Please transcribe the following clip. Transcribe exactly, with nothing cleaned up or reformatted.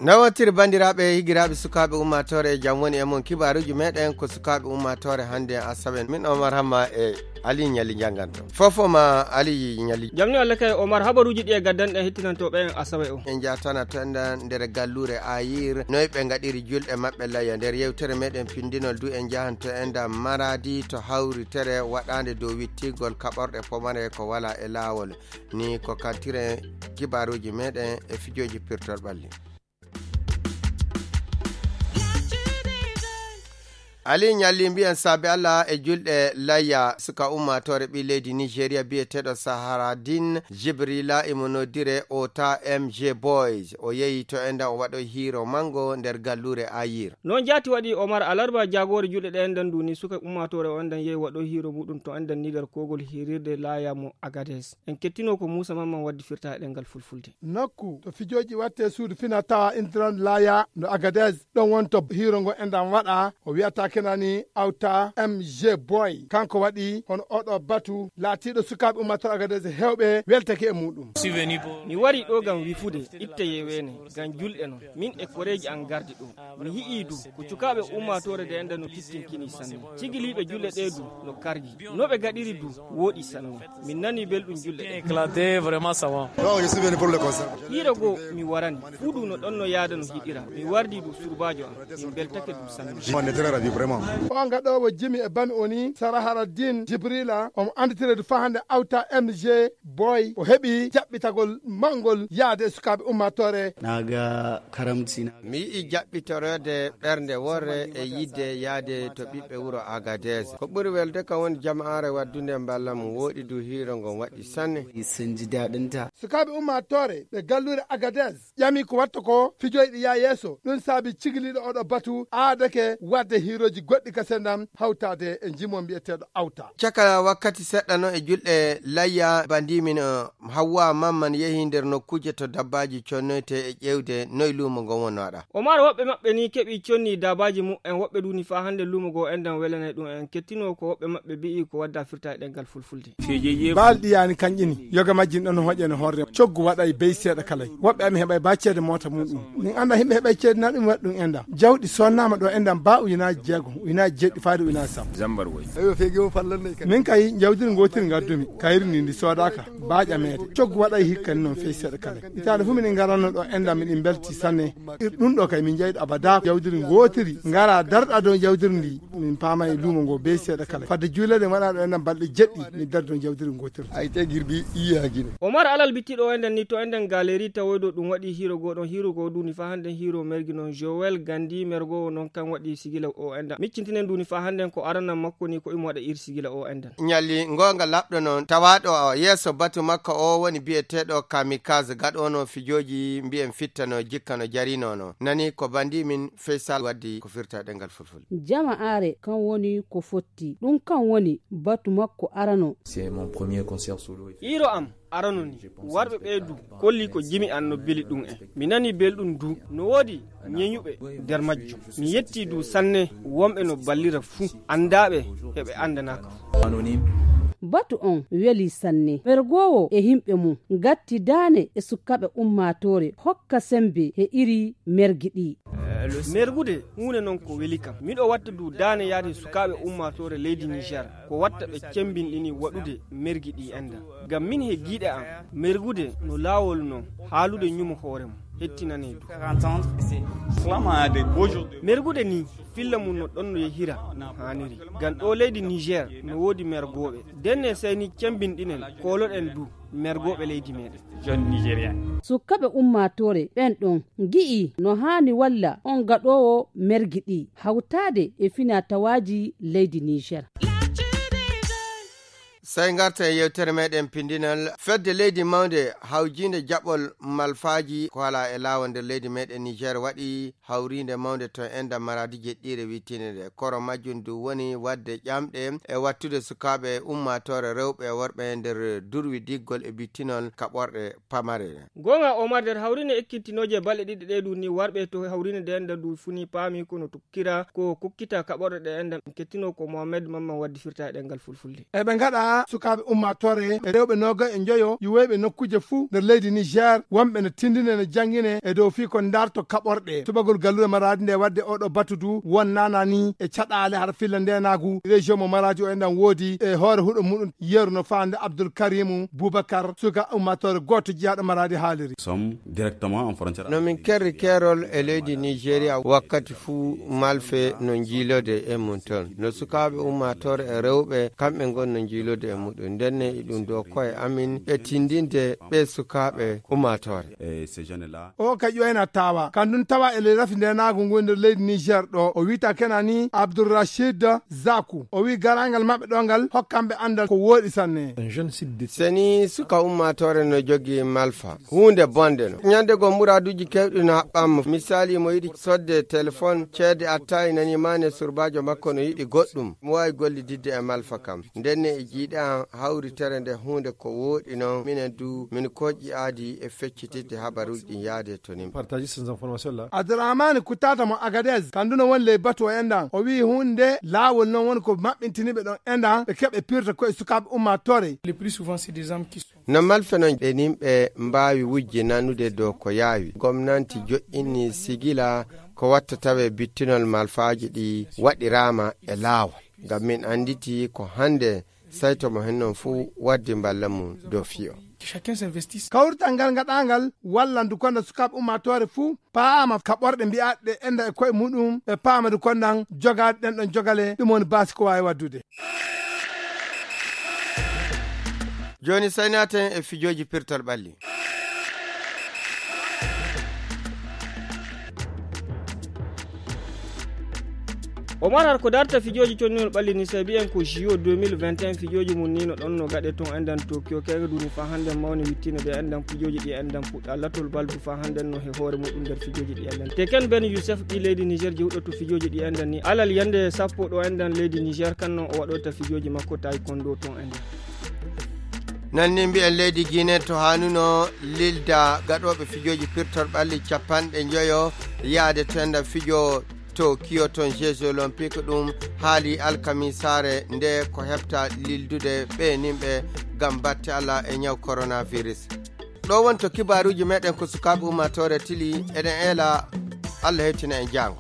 Nawatiri banndiraaɓe, higiraaɓe, sukaaɓe ummaatoore, e jam woni e mon. Kibaaruuji meɗen ko sukaaɓe ummaatoore hannde asawe. Min Omar Hamma e Ali Ñalli njannganto. Fofo ma Ali Ñalli. Jam ni Allah kay Omar, habaruuji ɗi e gaddanɗen hettinantooɓe en asawe o. En njatana to enda nder galluure Ayir, noy ɓe ngaɗiri julɗe maɓɓe layya. Nder yewtere meɗen pindinol du en njahan to enda Maradi to hawritere waɗaande dow wittigol kaɓorɗe pomare ko wala e laawol. Ni ko kaltiren kibaaruuji meɗen e fijooji pirtol ɓalli. Ali Ñalli, mbiyen saabe Allah e julɗe layya, suka ummaatoore ɓii leydi Nigeria biyeteeɗo Sahara Din Jibrila, imo noddire Ota M J Boys. O yehi to endan o waɗo hiiro mango nder galluure Ayir. Noon jaati waɗi Omar alarba jaagoore julɗe ɗe endan duni suka ummaatoore o endan yehi waɗo hiiro muɗum to endan ni nder kogol hirirde laya mo Agades. En kettino ko Muusa Mamman waddi firta e ɗengal fulfulde. Nokku to fijooji watte suudu fina tawa Indran Laya no Agades, ɗon wonto hiiro ngo enɗan waɗa, o wiyata kenani Awta M J Boy. Kanko waɗi hono oɗo batu laatiiɗo sukaaɓe ummator Agades hewɓe weltake e muɗum. Mi wari ɗo ngam wifude, itte yewene, ngam julɗe non. Min e koreeji an gardi ɗo. Mi yi'ii du ko cukaaɓe ummaatoore nde enda no tittinkini sanne. Cigiliiɓe julɗe ɗe du no kargi. No ɓe gaɗiri du wooɗi sanne. Min nani belɗum julɗe ɗe. Hiiro goo mi warani. Fuu du no ɗon no yaada no hiɗira. Mi wardi du surbaajo am. Min beltake du sanne. O gaɗoowo jimi e bami o ni Sara Haraddin Jibrila, omo annditire du faa hannde Awta M J Boy. O heɓi jaɓɓitagol mawngol yaade e sukaaɓe ummaatoore. Na ga karamci na. Mi yi'i jaɓɓitoroode ɓernde worre e yiɗde yaade to ɓiɓɓe wuro Agades. Ko ɓuri welde kam woni jama'aare waddunde mballa mum wooɗi du hiiro ngon waɗi sanne. Sun ji daɗinta. Sukaaɓe ummaatoore ɓe galluure Agades ƴami ko watta ko fijoyɗi yaa yeeso. Ɗum saabi cigiliiɗo oɗo batu aadake waɗde hiirooji goɗɗi ka sendam hawtaade e jimo mbiyeteeɗo Awta. Caka wakkati seɗɗa no e julɗe layya bandimin, eh, Hawwa Mamman yehi nder nokkuuje to dabbaaji connoyte e ƴeewde noy luumo ngon wonnoɗa. Omar woɓɓe maɓɓe ni keɓi conni daabaaji mu'en, woɓɓe du ni faa hannde luumo goo enɗan welanay ɗum en. Kettino ko woɓɓe maɓɓe bi'i ko wadda firta e ɗengal fulfulde. Baalɗi yaani kanƴi ni, yoga majji ɗon hoƴe no horre. Coggu waɗay bey seeɗa kalay. Woɓɓe ami heɓay ba ceede moota muɗum. Min annda himɓe heɓay ceede na ɗum waɗi ɗum enɗan. Jawɗi sonnaama ɗo enɗan ba ujunaaji jeego, ujunaaji jeɗɗi faade ujunaaji sappo. Min kay jawdiri ngootiri ngaddumi, kayri ndi ndi soodaaka, ba ƴameede. Coggu waɗay hikka ni noon fey seeɗa kalay. Itaade fu minin ngaranno ɗo enɗan miɗin belti sanne. Ir ɗum ɗo kay min jeyɗo abada jawdiri ngootiri. Ngara darɗa dow jawdiri ndi. Min paama e luumo ngo bey seeɗa kala. Fadde juuleɗen waɗa ɗo enɗan balɗe jeɗɗi, min dardi ɗon jawdiri ngootiri. Ay te girbi iya gine. Omar alal bittiɗo o enɗan ni to enɗan galeri tawoyɗo ɗum waɗi hiiro goo ɗon hiiro goo duni faa hannden hiiro mergi noon Joel Gandi mergo noon kan waɗi sigila o enɗan. Miccintinen duni faa hannden ko aranan makko ni ko imo waɗa ir sigila o enɗan. Ñalli ngoonga laɓɗo noon tawaaɗo o yeeso batu makko o woni biyeteeɗo Kamikaze gaɗoono fijooji mbiyen fittano jikkano jarinono. Nani ko bandi min Faisal waddi ko firta ɗengal fulfulde. Jama'aare kan woni ko fotti. Ɗum kan woni batu makko arano. C'est mon premier concert solo. Hiiro am arano ni, warɓe ɓee du kolli ko jimi an no beli ɗum en. Mi nani belɗum du, no woodi ñeñuɓe nder majjum. Mi yetti du sanne wonɓe no ballira fuu, anndaaɓe e ɓe anndanaaka fuu. Batu on weli sanne. Mergoowo e yimɓe mum ngatti daane e sukkaɓe ummaatoore hokka sembe he iri mergi ɗi. Mergude huunde non ko weli kam. Miɗo watta du daane yaade sukaaɓe ummaatoore leydi Niger, ko watta ɓe cembinɗini waɗude mergi ɗi enda. Ngam min he giiɗe am, mergude no laawol non haalude ñumo hoore mum, hettinane du. Mergude ni, filla mum no ɗon no yehira no haaniri. Ngam ɗo leydi Niger no woodi mergooɓe. Denne sey ni cembinɗinen, kooloɗen du mergooɓe leydi meɗen. Sukkaɓe ummaatoore ɓen ɗon ngi'i no haani walla on gaɗoowo mergi ɗi hawtaade e finaa-tawaaji leydi Niger. Sey ngarta e yewtere meɗen pindinal. Fedde leydi mawnde hawjiinde jaɓol malfaaji ko alaa e laawol nder leydi meɗen Niger waɗi hawriinde mawnde to enda Maradi jeɗɗiire wittiinde nde. Koro majjum du woni waɗde ƴamɗe e wattude sukaaɓe e ummaatoore rewɓe e worɓe nder durwi diggol e bittinol kaɓorɗe pamare. Goonga Omar, nder hawriinde ekkintinooje balɗe ɗiɗi ɗe du ni warɓe to hawriinde nde enda du funi paami kono tukkira ko kukkita kaɓorɗe ɗe enda. Kettino ko Mohamed Mamman waddi firta e ɗengal fulfulde. Eɓe ngaɗa Sukaaɓe ummaatoore e rewɓe noogay e njoyo yuweyɓe nokkuuje fuu nder leydi Niger, wonɓe no tindine no janngine e dow fii ko ndarto kaɓorɗe. Subagol gallure Maraadi nde waɗde oɗo batu du won naana ni e caɗaale hara filla ndeenaagu région mo Maraadi o enɗan woodi e hoore huɗo muɗum yeru no faande Abdul Karimu Bubakar, suka ummaatoore gooto jiyaaɗo Maraadi haaliri. Sommes directement en frontière. No min kerri keerol e leydi Nigeria wakkati fuu malfe no njiilode e mum ton. No sukaaɓe ummaatoore e rewɓe kamɓe ngon no njiilode e muɗum. Ndenne e ɗum ɗo koye amin e tindinde ɓe sukaaɓe ummaatoore. Et ces jeunes-là. O ka ƴoyna tawa. Kandun tawa e ley rafi ndenaagu ngu nder leydi Niger ɗo. O wiita kena ni Abdul Rashid Zaku. O wi garangal maɓɓe ɗo ngal hokkamɓe andal ko wooɗi sanne. Un jeune site de Seni suka ummaatoore no jogi malfa. Huunde bonde no. Ñande go muraaduuji kewɗi no haɓɓaama. Misaali mo yiɗi sodde telefon ceede attayi nani maane surbaajo makko no yiɗi goɗɗum. Mo waawi gollididde e malfa kam. Ndenne e jiiɗe am hawritere nde huunde ko wooɗi non. Minen du min koƴƴi aadi e feccitidde habaruuji ɗin yaade to nim. Partager ces informations-là. Abdourahmane Kutata mo Agadez, kanduno won ley batu o enɗan. O wi'i huunde laawol non woni ko maɓɓintiniɓe ɗon enɗan ɓe keɓe pirta koye sukaaɓe ummaatoore. Le plus souvent, c'est des hommes qui sont No malfe non ɓe nimɓe mbaawi wujje nanude dow ko yaawi. Gomnanti joƴƴini sigila ko watta tawe bittinol malfaaji ɗi waɗiraama e laawol. Ngam min annditi ko hannde sayto mo hen non fuu waddi mballa mum dow fiyo. Chacun s'investisse. Kawrital ngal ngaɗaangal wallandu kono sukaaɓe ummaatoore fuu paama ka ɓorɗe mbi'aaɗe enɗan e koye muɗum, ɓe paama du konɗan jogaade ɗen ɗon jogale, ɗum woni baasi ko waawi waddude. Jooni saynaten e fijooji pirtal ɓalli. Omar, har ko darta fijooji conningol ɓalli ni, sabi en ko J O deux mille vingt et un fijooji mum ni no ɗon no gaɗe ton enɗan Tokyo, kega duni fa hannden mawni wittine ɓe enɗan fijooji ɗi enɗan puɗɗa latol baldu fa hannden no he hoore muɗum nder fijooji ɗi enɗan. Teken Ben Youssef ɗi leydi Niger jewɗo to fijooji ɗi enɗan ni alal yande sappo ɗo enɗan leydi Niger kan non o waɗoyta fijooji makko taekwondo ton enɗan. Nanni mbiyen leydi Guinée to haanuno lilda gaɗooɓe fijooji pirtol ɓalli capanɗe njoyo yaade to enɗan fijo Tokyo ton Jeux Olympiques ɗum haali alkamisaare nde ko heɓta lildude ɓe nimɓe ngam batte Allah e ñaw coronavirus. Ɗo woni to kibaaruuji meɗen ko sukaaɓe ummaatoore tili eɗen eela Allah hewtina en jaango.